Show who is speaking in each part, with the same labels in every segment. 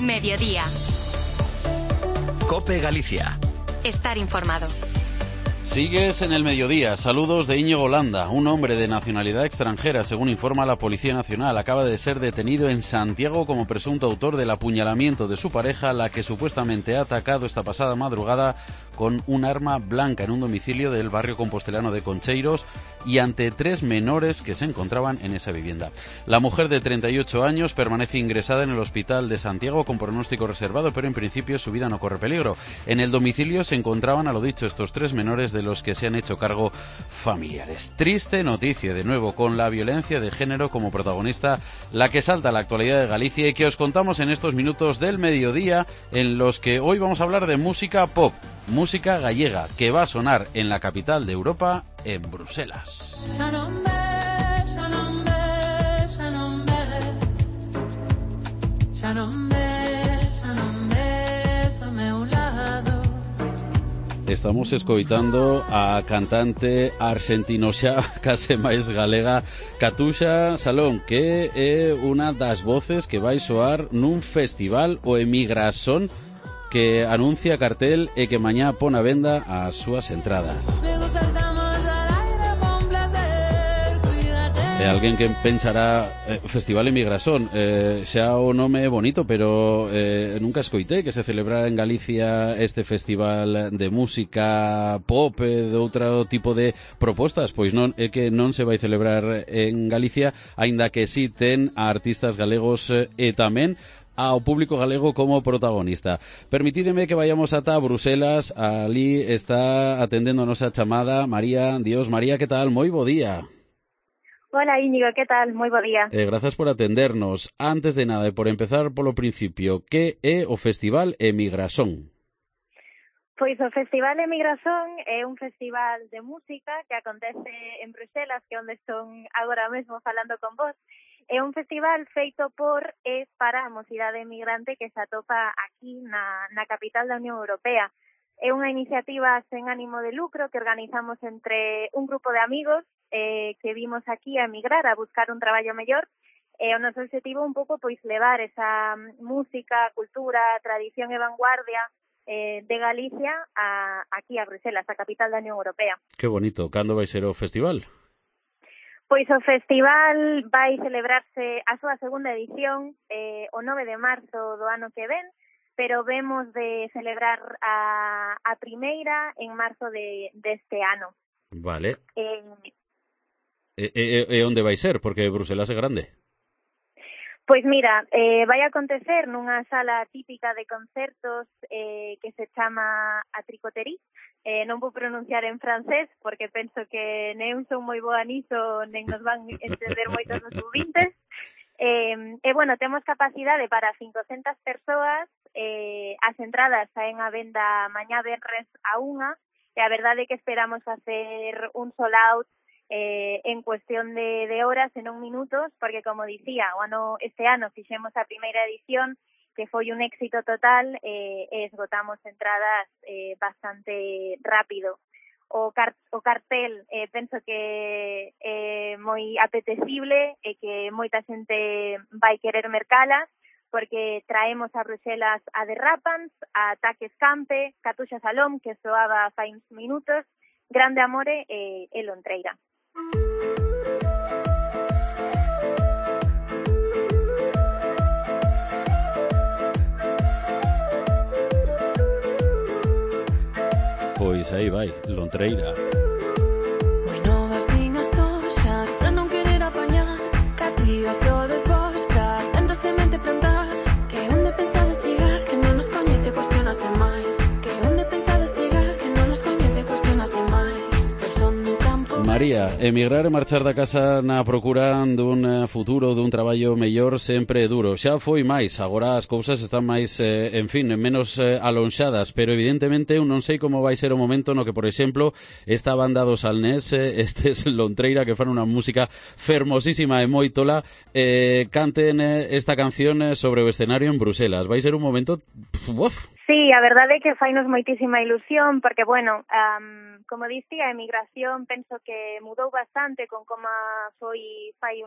Speaker 1: Mediodía.
Speaker 2: COPE Galicia.
Speaker 1: Estar informado.
Speaker 3: Sigues en el mediodía. Saludos de Íñigo Landa. Un hombre de nacionalidad extranjera, según informa la Policía Nacional, acaba de ser detenido en Santiago como presunto autor del apuñalamiento de su pareja, la que supuestamente ha atacado esta pasada madrugada con un arma blanca en un domicilio del barrio compostelano de Concheiros y ante 3 menores que se encontraban en esa vivienda. La mujer de 38 años permanece ingresada en el hospital de Santiago con pronóstico reservado, pero en principio su vida no corre peligro. En el domicilio se encontraban, a lo dicho, estos 3 menores de los que se han hecho cargo familiares. Triste noticia, de nuevo, con la violencia de género como protagonista, la que salta a la actualidad de Galicia y que os contamos en estos minutos del mediodía, en los que hoy vamos a hablar de música pop, música gallega, que va a sonar en la capital de Europa, en Bruselas. Estamos escoitando a cantante argentinoxa, case máis galega, Catuxa Salón, que é unha das voces que vai soar nun festival, o Emigrasón, que anuncia cartel e que mañá pon a venda as súas entradas. Alguén que pensará Festival Emigrasón, xa o nome é bonito, pero nunca escoitei que se celebrara en Galicia este festival de música pop, de outro tipo de propostas. Pois non, é que non se vai celebrar en Galicia, aínda que si ten a artistas galegos e tamén ao público galego como protagonista. Permitídeme que vayamos ata Bruselas. Ali está atendendo a nosa chamada María Dios. María, que tal? Moi bo día.
Speaker 4: Hola Íñigo, ¿qué tal? Moi bo día.
Speaker 3: Gracias por atendernos. Antes de nada, e por empezar polo principio, que é o Festival Emigrasón?
Speaker 4: Pois o Festival Emigrasón é un festival de música que acontece en Bruselas, que é onde estou agora mesmo falando con vos. É un festival feito por e para a mocidade emigrante que se atopa aquí na capital da Unión Europea. É unha iniciativa sen ánimo de lucro que organizamos entre un grupo de amigos que vimos aquí a emigrar, a buscar un traballo mellor. O noso objetivo un pouco pois levar esa música, cultura, tradición e vanguardia de Galicia aquí a Bruselas, a capital da Unión Europea.
Speaker 3: Que bonito. Cando vai ser o festival?
Speaker 4: Pois o festival vai celebrarse a súa segunda edición o 9 de marzo do ano que ven, pero vemos de celebrar a primeira en marzo deste ano.
Speaker 3: Vale. E onde vai ser? Porque Bruselas é grande.
Speaker 4: Pois mira, vai acontecer nunha sala típica de concertos que se chama a Tricoterie. Non vou pronunciar en francés porque penso que non son moi boa niso, nen nos van entender moitos os ouvintes. Bueno, temos capacidade para 500 persoas, as entradas saen a venda mañá venres a 1, e a verdade é que esperamos facer un sold out en cuestión de horas, en non minutos, porque, como dicía, este ano fixemos a primeira edición, que foi un éxito total, e esgotamos entradas bastante rápido. O cartel penso que é moi apetecible e que moita xente vai querer mercala, porque traemos a Bruselas a The Rapans, a Taques Campe, Catuxa Salón, que soaba fai uns minutos, Grande Amore e Lontreira.
Speaker 3: Pois aí vai, Lontreira.
Speaker 5: Bueno, vacinas toxas pra non querer apañar, cativas sodes vos pra tanta semente plantar, que onde pensades chegar, que non nos coñece, cuestionase máis, que onde pensades chegar, que non nos coñece, cuestionase máis.
Speaker 3: María, emigrar e marchar da casa na procura dun futuro, dun traballo mellor, sempre é duro. Xa foi máis, agora as cousas están máis, menos alonxadas, pero evidentemente eu non sei como vai ser o momento no que, por exemplo, esta banda do Salnés, estes Lontreira, que fan unha música fermosísima e moi tola, canten esta canción sobre o escenario en Bruselas. Vai ser un momento...
Speaker 4: Sí, a verdade é que fainos moitísima ilusión, porque, bueno, como dicía, a emigración penso que mudou bastante con como foi fai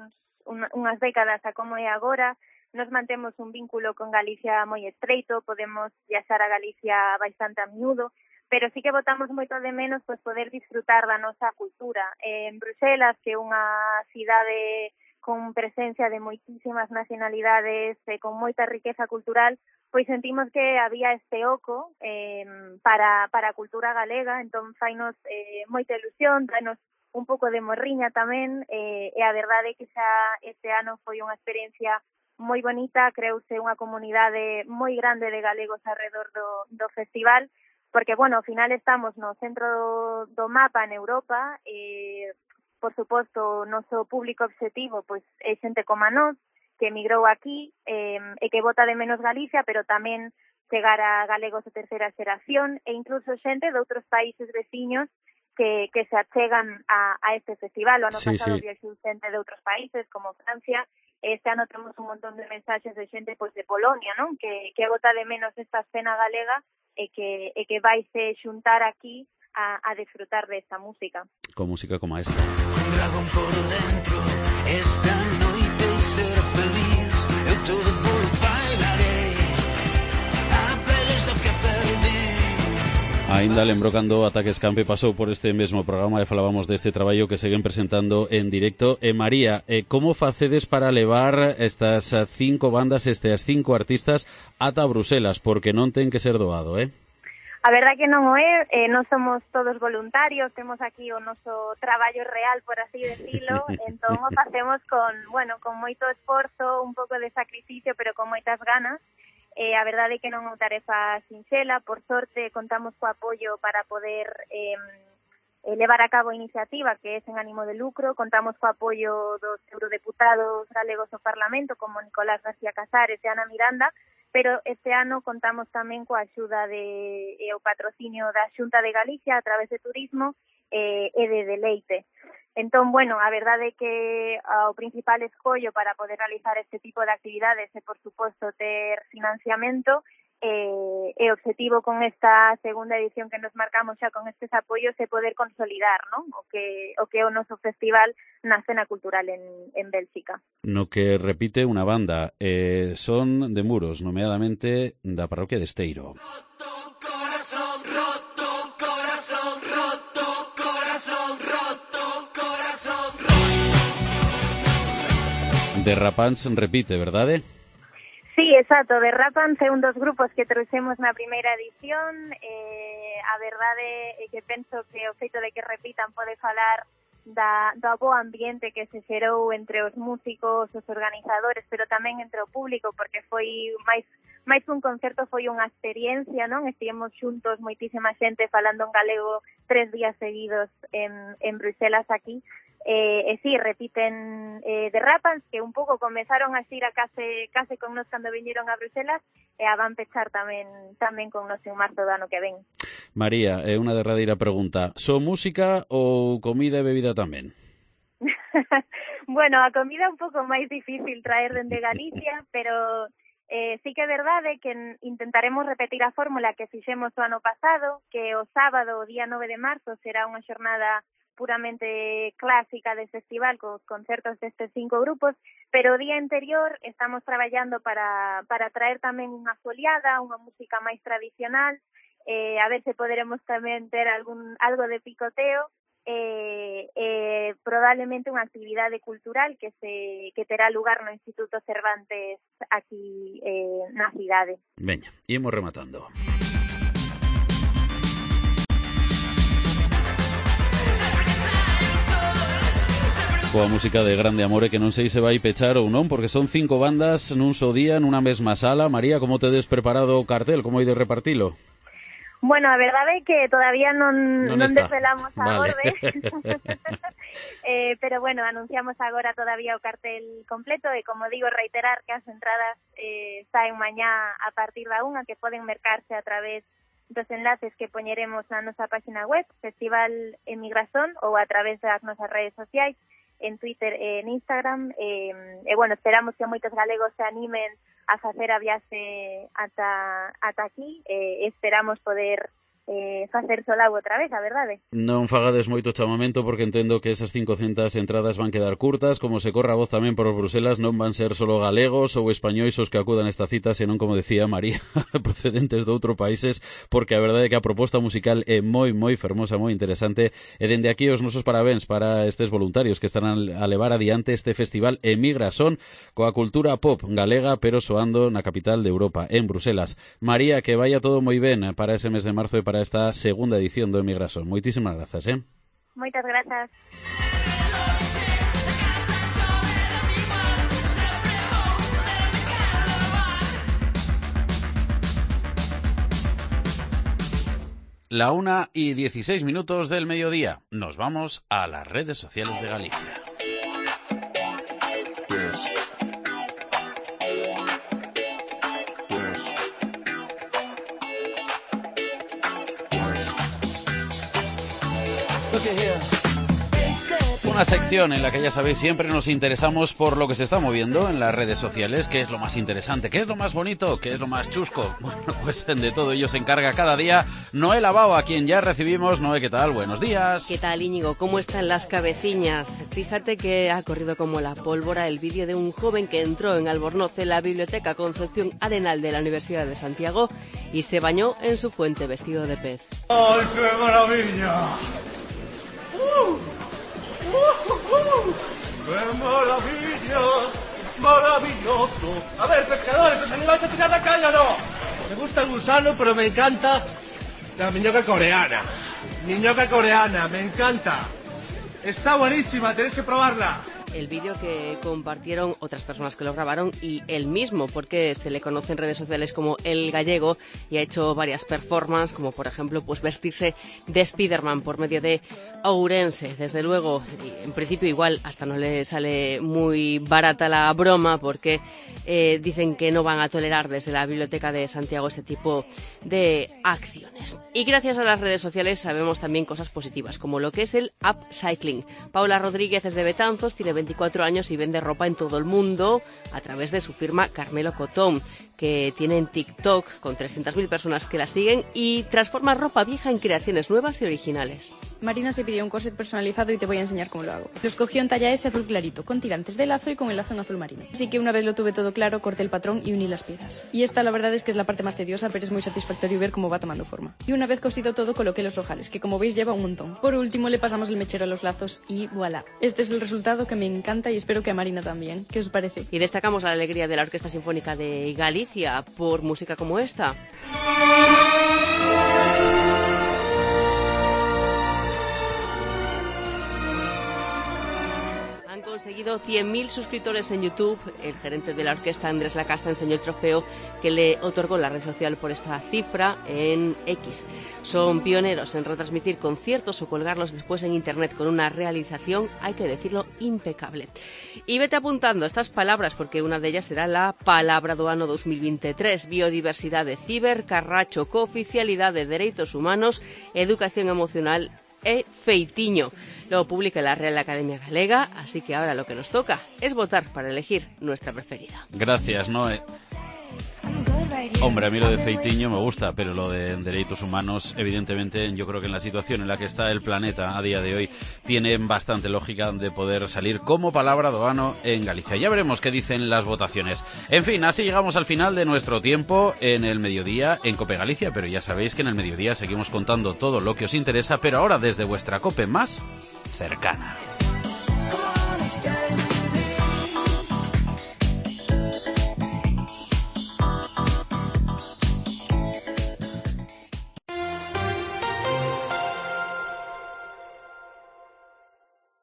Speaker 4: unhas décadas a como é agora. nos mantemos un vínculo con Galicia moi estreito, podemos viaxar a Galicia bastante a miúdo, pero sí que botamos moito de menos pois poder disfrutar da nosa cultura. En Bruxelas, que é unha cidade con presencia de moitísimas nacionalidades, con moita riqueza cultural, pois sentimos que había este oco para a cultura galega, entón fainos moita ilusión, danos un pouco de morriña tamén, e a verdade é que xa este ano foi unha experiencia moi bonita, creouse unha comunidade moi grande de galegos alrededor do festival, porque, bueno, ao final estamos no centro do mapa en Europa, por suposto, o noso público objetivo pois é xente como a nós, que emigrou aquí e que bota de menos Galicia, pero tamén chegar a galegos de terceira xeración e incluso xente de outros países veciños que se achegan a este festival. O ano pasado viaxou xente de outros países, como Francia. Este ano temos un montón de mensaxes de xente pois de Polonia, non? Que bota de menos esta escena galega e que vaise xuntar aquí a disfrutar desta música.
Speaker 3: Con música como esta.
Speaker 1: Un dragón por dentro, esta noite ser feliz, eu todo polo bailaré, aprendes do que perdi.
Speaker 3: Ainda lembro cando Ataques Campe pasou por este mesmo programa e falábamos deste traballo que seguen presentando en directo. María, como facedes para levar estas 5 bandas, estas 5 artistas ata Bruselas? Porque non ten que ser doado,
Speaker 4: A verdad que non o é, non somos todos voluntarios, temos aquí o noso traballo real, por así decirlo, entón o facemos con moito esforzo, un pouco de sacrificio, pero con moitas ganas. A verdade é que non é unha tarefa sinxela, por sorte contamos co apoio para poder levar a cabo a iniciativa, que é sen ánimo de lucro, contamos co apoio dos eurodeputados galegos ao Parlamento, como Nicolás García Casares e Ana Miranda, pero este ano contamos tamén coa axuda e o patrocinio da Xunta de Galicia a través de turismo e de Deleite. Entón, a verdade é que o principal escollo para poder realizar este tipo de actividades é, por suposto, ter financiamento e o objetivo con esta segunda edición que nos marcamos xa con estes apoios é poder consolidar, non? O que é o noso festival na escena cultural en Bélxica.
Speaker 3: No que repite unha banda, son de Muros, nomeadamente da parroquia de Esteiro.
Speaker 1: Roto corazón, roto corazón, roto corazón, roto corazón, roto.
Speaker 3: Derrapans repite, verdade?
Speaker 4: Sí, exacto, Derrapans é un dos grupos que trouxemos na primeira edición. A verdade é que penso que o feito de que repitan pode falar do bo ambiente que se xerou entre os músicos, os organizadores, pero tamén entre o público, porque foi máis un concerto, foi unha experiencia, non? Estivemos xuntos moitísima xente falando en galego 3 días seguidos en Bruxelas aquí. Sí, repiten Derrapans, que un pouco comenzaron a xira case con nos cando viñeron a Bruxelas e a van pechar tamén con nos en marzo do ano que ven.
Speaker 3: María, unha derradeira pregunta. Son música ou comida e bebida tamén?
Speaker 4: A comida é un pouco máis difícil traer dende Galicia, pero sí que é verdade que intentaremos repetir a fórmula que fixemos o ano pasado, que o sábado, o día 9 de marzo, será unha xornada puramente clásica de festival cos concertos destes 5 grupos, pero o día anterior estamos traballando para traer tamén unha foliada, unha música máis tradicional, a ver se poderemos tamén ter algo de picoteo, probablemente unha actividade cultural que terá lugar no Instituto Cervantes aquí na cidade.
Speaker 3: Veña, imos rematando. Coa música de Grande Amore, que non sei se vai pechar ou non, porque son 5 bandas nun só día, nunha mesma sala. María, como tedes preparado o cartel? Como ides repartilo?
Speaker 4: A verdade é que todavía non desvelamos a orde. Pero anunciamos agora todavía o cartel completo e, como digo, reiterar que as entradas saen mañá a partir da 1, que poden mercarse a través dos enlaces que poñeremos na nosa página web, Festival Emigración, ou a través das nosas redes sociais, en Twitter e en Instagram, esperamos que moitos galegos se animen a facer a viaxe ata aquí, esperamos poder facer solao outra vez, a verdade.
Speaker 3: Non fagades moito chamamento porque entendo que esas 500 entradas van quedar curtas, como se corra a voz tamén por Bruselas, non van ser solo galegos ou españois os que acudan a esta cita, senón, como decía María, procedentes de outros países, porque a verdade é que a proposta musical é moi fermosa, moi interesante, e dende aquí os nosos parabéns para estes voluntarios que están a levar adiante este festival Emigrasón coa cultura pop galega, pero soando na capital de Europa, en Bruselas. María, que vaya todo moi ben para ese mes de marzo e para esta segunda edición do Emigrasón. Moitísimas grazas,
Speaker 4: Moitas grazas.
Speaker 3: La 1:16 del mediodía. Nos vamos a las redes sociales de Galicia. Una sección en la que, ya sabéis, siempre nos interesamos por lo que se está moviendo en las redes sociales, qué es lo más interesante, qué es lo más bonito, qué es lo más chusco. Bueno, pues de todo ello se encarga cada día Noel Abao, a quien ya recibimos. Noé, ¿qué tal? Buenos días.
Speaker 2: ¿Qué tal, Íñigo? ¿Cómo están las cabeciñas? Fíjate que ha corrido como la pólvora el vídeo de un joven que entró en Albornoz, en la Biblioteca Concepción Arenal de la Universidad de Santiago, y se bañó en su fuente vestido de pez.
Speaker 6: ¡Ay, qué maravilla! ¡Qué maravilla! ¡Maravilloso! A ver, pescadores, ¿os animáis a tirar la caña o no? Me gusta el gusano, pero me encanta la miñoca coreana. Miñoca coreana, me encanta. Está buenísima, tenéis que probarla.
Speaker 2: El vídeo que compartieron otras personas que lo grabaron y él mismo, porque se le conoce en redes sociales como El Gallego y ha hecho varias performances, como por ejemplo pues vestirse de Spiderman por medio de Ourense. Desde luego, en principio igual hasta no le sale muy barata la broma, porque dicen que no van a tolerar desde la Biblioteca de Santiago este tipo de acciones. Y gracias a las redes sociales sabemos también cosas positivas, como lo que es el upcycling. Paula Rodríguez es de Betanzos, tiene 24 años y vende ropa en todo el mundo a través de su firma Carmelo Cotón, que tiene en TikTok con 300.000 personas que la siguen y transforma ropa vieja en creaciones nuevas y originales.
Speaker 7: Marina se pidió un corset personalizado y te voy a enseñar cómo lo hago. Lo escogí en talla S azul clarito, con tirantes de lazo y con el lazo en azul marino. Así que una vez lo tuve todo claro, corté el patrón y uní las piezas. Y esta la verdad es que es la parte más tediosa, pero es muy satisfactorio ver cómo va tomando forma. Y una vez cosido todo, coloqué los ojales, que como veis lleva un montón. Por último le pasamos el mechero a los lazos y voilà. Este es el resultado que me encanta y espero que a Marina también. ¿Qué os parece?
Speaker 2: Y destacamos la alegría de la Orquesta Sinfónica de Galicia por música como esta. Han conseguido 100.000 suscriptores en YouTube. El gerente de la orquesta, Andrés Lacasta, enseñó el trofeo que le otorgó la red social por esta cifra en X. Son pioneros en retransmitir conciertos o colgarlos después en internet con una realización, hay que decirlo, impecable. Y vete apuntando estas palabras, porque una de ellas será la palabra do ano 2023: biodiversidade, cibercarracho, cooficialidade, dereitos humanos, educación emocional e feitiño. Lo publica la Real Academia Galega, así que ahora lo que nos toca es votar para elegir nuestra preferida.
Speaker 3: Gracias, Noé. Hombre, a mí lo de feitiño me gusta, pero lo de derechos humanos, evidentemente, yo creo que en la situación en la que está el planeta a día de hoy, tiene bastante lógica de poder salir como palabra do ano en Galicia. Ya veremos qué dicen las votaciones. En fin, así llegamos al final de nuestro tiempo en el mediodía en Cope Galicia, pero ya sabéis que en el mediodía seguimos contando todo lo que os interesa, pero ahora desde vuestra Cope más cercana.